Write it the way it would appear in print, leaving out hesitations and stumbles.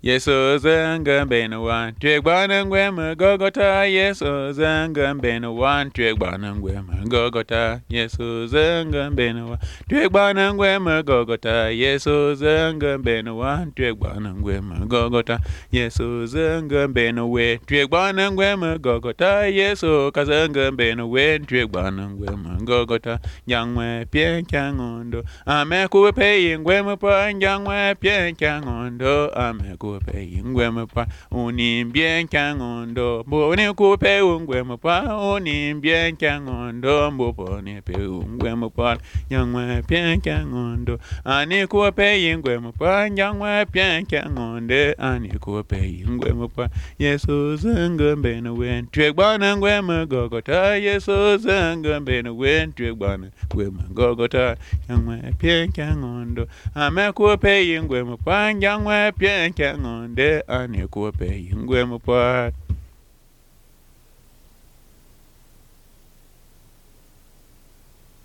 Yesu zanga bena wan tweg bana ngwema Gogota. Yesu zanga bena wan tweg bana ngwema Gogota. Yesu zanga bena wan tweg bana ngwema Gogota. Yesu zanga bena wan tweg bana ngwema Gogota. Yesu zanga bena we tweg bana ngwema Gogota. Yesu kazanga bena we tweg bana ngwema Gogota. Nyangwe pien changondo ame kupe ngwema pa nyangwe pien changondo ame kupe ngwema pa unimbien changondo boni kupe ngwema pa unimbien changondo mboni pe ngwema pa nyangwe pien changondo ani kupe ngwema pa nyangwe pien changonde ani kupe ngwema pa Yesu zanga bena wen tweg bana ngwema Gogota. Yesu zanga bena wen tweg bana ngwema Gogota. Nyangwe pien changondo ame kupe ngwema pa nyangwe pien changonde ani kupe ngwema pa